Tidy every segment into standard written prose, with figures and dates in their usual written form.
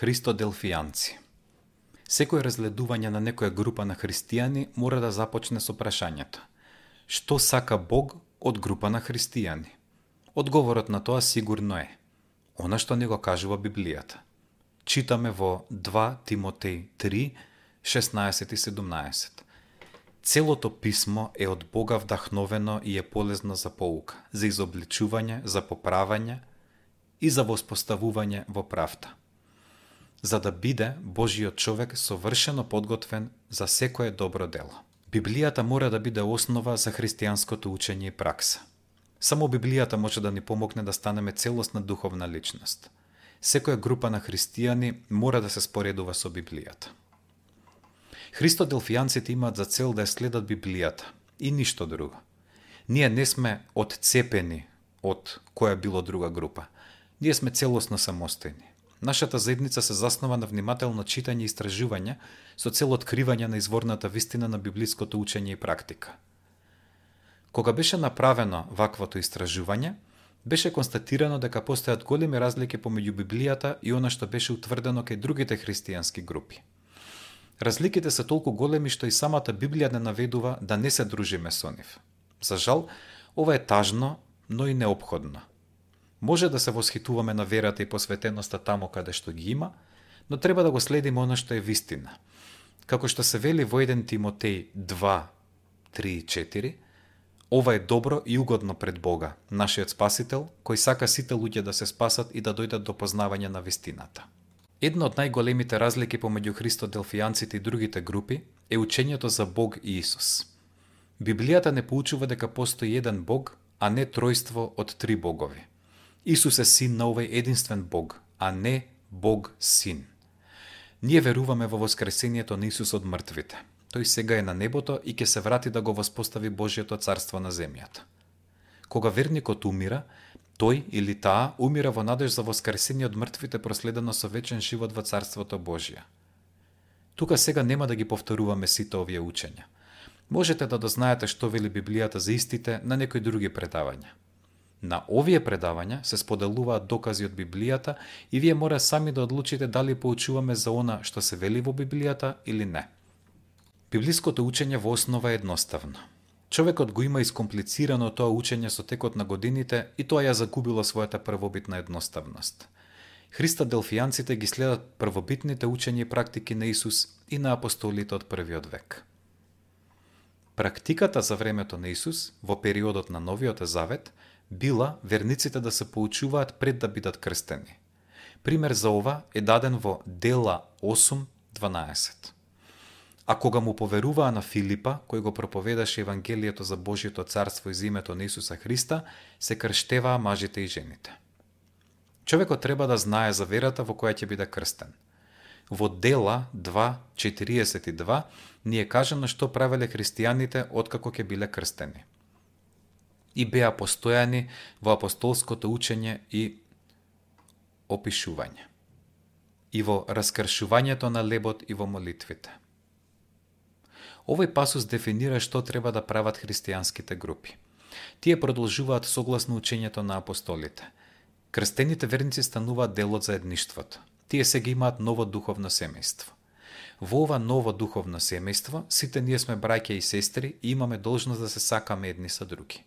Христоделфијанци. Секој разгледување на некоја група на христијани мора да започне со прашањето: што сака Бог од група на христијани? Одговорот на тоа сигурно е она што ни го кажува Библијата. Читаме во 2 Тимотеј 3, 16 и 17. Целото писмо е од Бога вдахновено и е полезно за поука, за изобличување, за поправање и за воспоставување во правда, за да биде Божиот човек совршено подготвен за секое добро дело. Библијата мора да биде основа за христијанското учење и пракса. Само Библијата може да ни помогне да станеме целосна духовна личност. Секоја група на христијани мора да се споредува со Библијата. Христоделфијанците имаат за цел да ја следат Библијата и ништо друго. Ние не сме одцепени од која било друга група. Ние сме целосно самостојни. Нашата заедница се заснова на внимателно читање и истражување со цел откривање на изворната вистина на библиското учење и практика. Кога беше направено ваквото истражување, беше констатирано дека постојат големи разлики помеѓу Библијата и она што беше утврдено кај другите христијански групи. Разликите се толку големи што и самата Библија не наведува да не се дружиме со нив. За жал, ова е тажно, но и неопходно. Може да се восхитуваме на верата и посветеноста таму каде што ги има, но треба да го следиме она што е вистина. Како што се вели во 1 Тимотеј 2, 3 и 4, ова е добро и угодно пред Бога, нашиот Спасител, кој сака сите луѓе да се спасат и да дојдат до познавање на вистината. Една од најголемите разлики помеѓу христоделфијанците и другите групи е учењето за Бог и Исус. Библијата не поучува дека постои еден Бог, а не тројство од 3 богови. Исус е син на овој единствен Бог, а не Бог син. Ние веруваме во воскресението на Исус од мртвите. Тој сега е на небото и ќе се врати да го воспостави Божјото царство на земјата. Кога верникот умира, тој или таа умира во надеж за воскресение од мртвите проследено со вечен живот во Царството Божие. Тука сега нема да ги повторуваме сите овие учења. Можете да дознаете што вели Библијата за истите на некои други предавања. На овие предавања се споделуваат докази од Библијата и вие мора сами да одлучите дали поучуваме за она што се вели во Библијата или не. Библиското учење во основа е едноставно. Човекот го има искомплицирано тоа учење со текот на годините и тоа ја загубило својата првобитна едноставност. Христоделфијанците ги следат првобитните учења и практики на Исус и на апостолите од првиот век. Практиката за времето на Исус, во периодот на Новиот Завет, била верниците да се поучуваат пред да бидат крстени. Пример за ова е даден во Дела 8:12. А кога му поверуваа на Филипа, кој го проповедаше Евангелието за Божјото царство из името на Исуса Христа, се крштеваа мажите и жените. Човекот треба да знае за верата во која ќе биде крстен. Во Дела 2:42 ни е кажано што правеле христијаните откако ќе биле крстени. И беа постојани во апостолското учење и опишување, и во раскршувањето на лебот и во молитвите. Овој пасус дефинира што треба да прават христијанските групи. Тие продолжуваат согласно учењето на апостолите. Крстените верници стануваат дел од заедништвото. Тие сега имаат ново духовно семејство. Во ова ново духовно семејство сите ние сме браќа и сестри и имаме должност да се сакаме едни со други.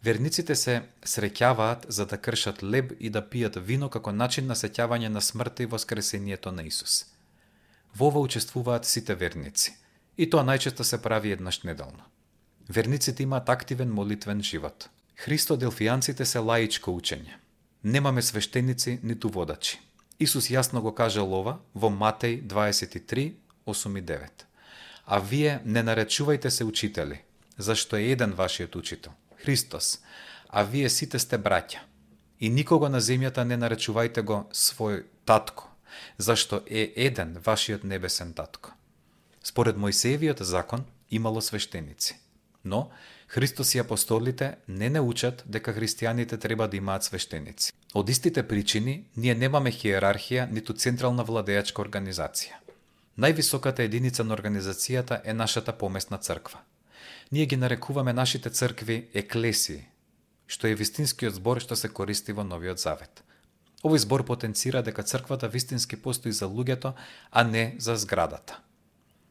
Верниците се среќаваат за да кршат леб и да пијат вино како начин на сеќавање на смртта и воскресението на Исус. Во ова учествуваат сите верници. И тоа најчесто се прави еднаш неделно. Верниците имаат активен молитвен живот. Христоделфијанците се лаичко учење. Немаме свештеници ниту водачи. Исус јасно го кажал ова во Матеј 23:8 и 9. А вие не наречувајте се учители, зашто е еден вашиот учител, Христос, а вие сите сте браќа. И никого на земјата не наречувајте го свој татко, зашто е еден вашиот небесен татко. Според Мојсеевиот закон имало свештеници, но Христос и апостолите не научат дека христијаните треба да имаат свештеници. Од истите причини ние немаме хиерархија ниту централна владеачка организација. Највисоката единица на организацијата е нашата помесна црква. Ние ги нарекуваме нашите цркви еклесии, што е вистинскиот збор што се користи во Новиот Завет. Овој збор потенцира дека црквата вистински постои за луѓето, а не за зградата.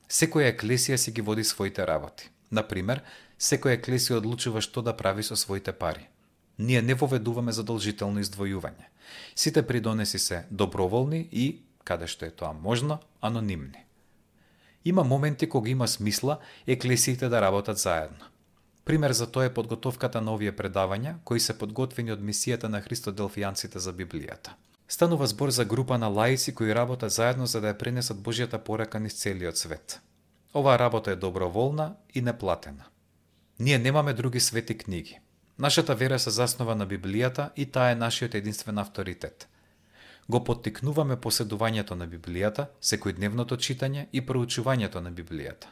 Секоја еклесија си ги води своите работи. Например, секоја еклесија одлучува што да прави со своите пари. Ние не воведуваме задолжително издвојување. Сите придонеси се доброволни и, каде што е тоа можно, анонимни. Има моменти кога има смисла еклесиите да работат заедно. Пример за тоа е подготовката на овие предавања, кои се подготвени од мисијата на христоделфијанците за Библијата. Станува збор за група на лаици кои работат заедно за да ја пренесат Божјата порака низ целиот свет. Оваа работа е доброволна и неплатена. Ние немаме други свети книги. Нашата вера се заснова на Библијата и таа е нашиот единствен авторитет. Го поттикнуваме поседувањето на Библијата, секојдневното читање и проучувањето на Библијата.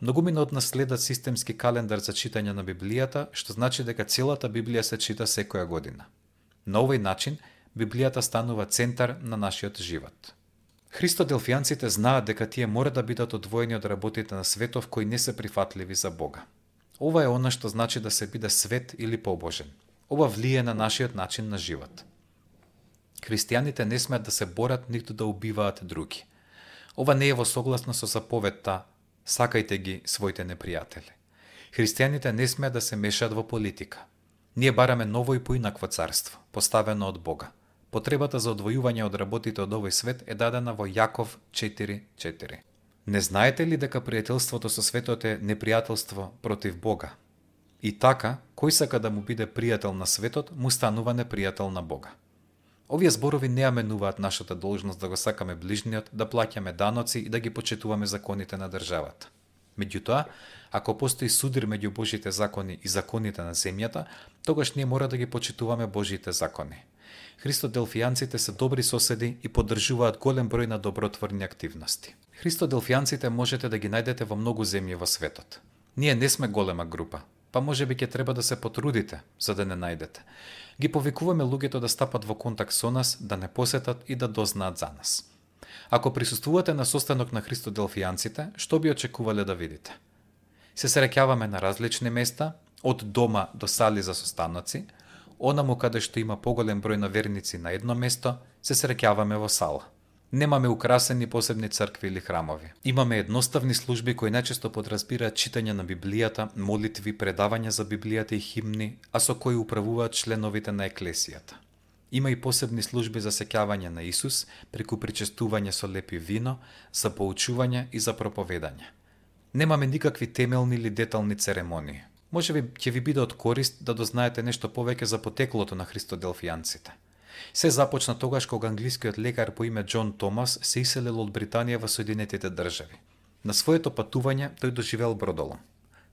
Многумина од нас следат системски календар за читање на Библијата, што значи дека целата Библија се чита секоја година. На овој начин, Библијата станува центар на нашиот живот. Христоделфијанците знаат дека тие мора да бидат одвоени од работите на светов кои не се прифатливи за Бога. Ова е она што значи да се биде свет или побожен. Ова влие на нашиот начин на живот. Христијаните не смеат да се борат ниту да убиваат други. Ова не е во согласно со заповедта сакајте ги своите непријатели. Христијаните не смеат да се мешаат во политика. Ние бараме ново и поинакво царство, поставено од Бога. Потребата за одвојување од работите од овој свет е дадена во Јаков 4:4. Не знаете ли дека пријателството со светот е непријателство против Бога? И така, кој сака да му биде пријател на светот, му станува непријател на Бога. Овие зборови не аменуваат нашата должност да го сакаме ближниот, да плаќаме даноци и да ги почитуваме законите на државата. Меѓутоа, ако постои судир меѓу Божите закони и законите на земјата, тогаш ние мора да ги почитуваме Божите закони. Христоделфијанците се добри соседи и поддржуваат голем број на добротворни активности. Христоделфијанците можете да ги најдете во многу земји во светот. Ние не сме голема група, па можеби ќе треба да се потрудите за да не најдете. Ги повикуваме луѓето да стапат во контакт со нас, да не посетат и да дознаат за нас. Ако присуствувате на состанок на христоделфијанците, што би очекувале да видите? Се среќаваме на различни места, од дома до сали за состаноци, онаму каде што има поголем број на верници на едно место, се среќаваме во сала. Немаме украсени посебни цркви или храмови. Имаме едноставни служби кои најчесто подразбираат читање на Библијата, молитви, предавања за Библијата и химни, а со кои управуваат членовите на еклесијата. Има и посебни служби за сеќавање на Исус, преку причестување со лепи вино, за поучување и за проповедање. Немаме никакви темелни или детални церемонии. Можеби ќе ви биде од корист да дознаете нешто повеќе за потеклото на христоделфијанците. Се започна тогаш кога англискиот лекар по име Џон Томас се иселил од Британија во Соединетите држави. На своето патување тој доживеал бродолом.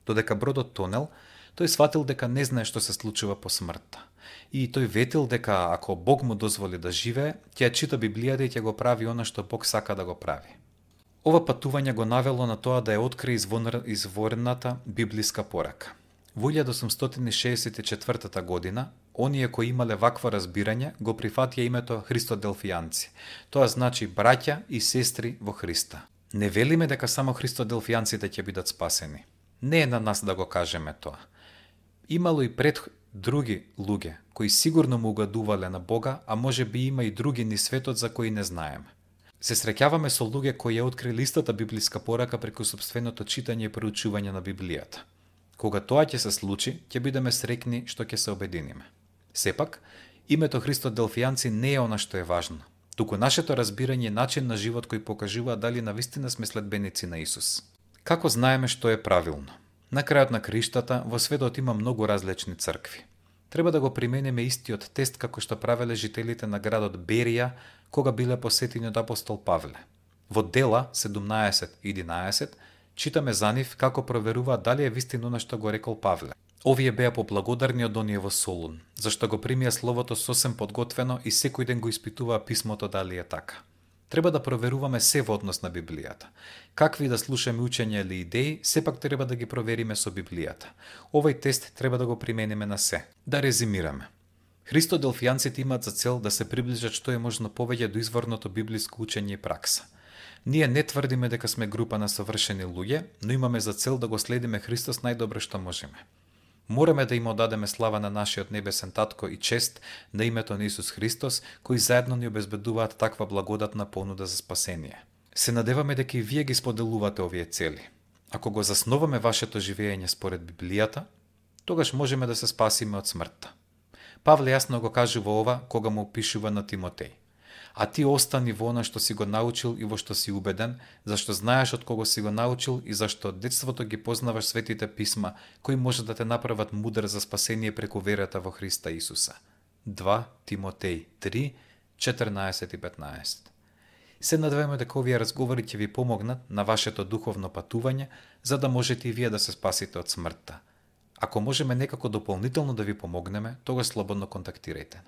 Додека бродот тонел, тој сватил дека не знае што се случува по смртта. И тој ветил дека ако Бог му дозволи да живее, ќе ја чита Библијата и ќе го прави она што Бог сака да го прави. Ова патување го навело на тоа да ја открие изворната библиска порака. Во 1864 година, оние кои имале вакво разбирање го прифатија името христоделфијанци. Тоа значи браќа и сестри во Христа. Не велиме дека само христоделфијанците ќе бидат спасени. Не е на нас да го кажеме тоа. Имало и пред други луѓе кои сигурно му угодувале на Бога, а може би има и други низ светот за кои не знаеме. Се среќаваме со луѓе кои ја открили истата библиска порака преку сопственото читање и проучување на Библијата. Кога тоа ќе се случи, ќе бидеме среќни што ќе се обединиме. Сепак, името христоделфијанци не е она што е важно, туку нашето разбирање и начин на живот кој покажува дали навистина сме следбеници на Исус. Како знаеме што е правилно? На крајот на краиштата, во светот има многу различни цркви. Треба да го примениме истиот тест како што правеле жителите на градот Берија кога биле посетени од апостол Павле. Во Дела 17:11 читаме за нив како проверуваат дали е вистина она што го рекол Павле. Овие беа поблагодарни од оние во Солун, зашто го примија словото сосем подготвено и секој ден го испитуваа писмото дали е така. Треба да проверуваме се во однос на Библијата. Какви да слушаме учења или идеи, сепак треба да ги провериме со Библијата. Овој тест треба да го примениме на се. Да резимираме. Христоделфијанците имаат за цел да се приближат што е можно повеќе до изворното библиско учење и пракса. Ние не тврдиме дека сме група на совршени луѓе, но имаме за цел да го следиме Христос најдобро што можеме. Мораме да им одадеме слава на нашиот небесен татко и чест на името на Исус Христос, кои заедно ни обезбедуваат таква благодатна понуда за спасение. Се надеваме дека и вие ги споделувате овие цели. Ако го засноваме вашето живење според Библијата, тогаш можеме да се спасиме од смртта. Павле јасно го кажува ова кога му опишува на Тимотеј. А ти остани во она што си го научил и во што си убеден, зашто знаеш од кого си го научил и зашто од детството ги познаваш светите писма, кои може да те направат мудр за спасение преку верата во Христа Исуса. 2 Тимотеј 3, 14 и 15. Се надеваме дека овие разговори ќе ви помогнат на вашето духовно патување, за да можете и вие да се спасите од смртта. Ако можеме некако дополнително да ви помогнеме, тогаш слободно контактирајте.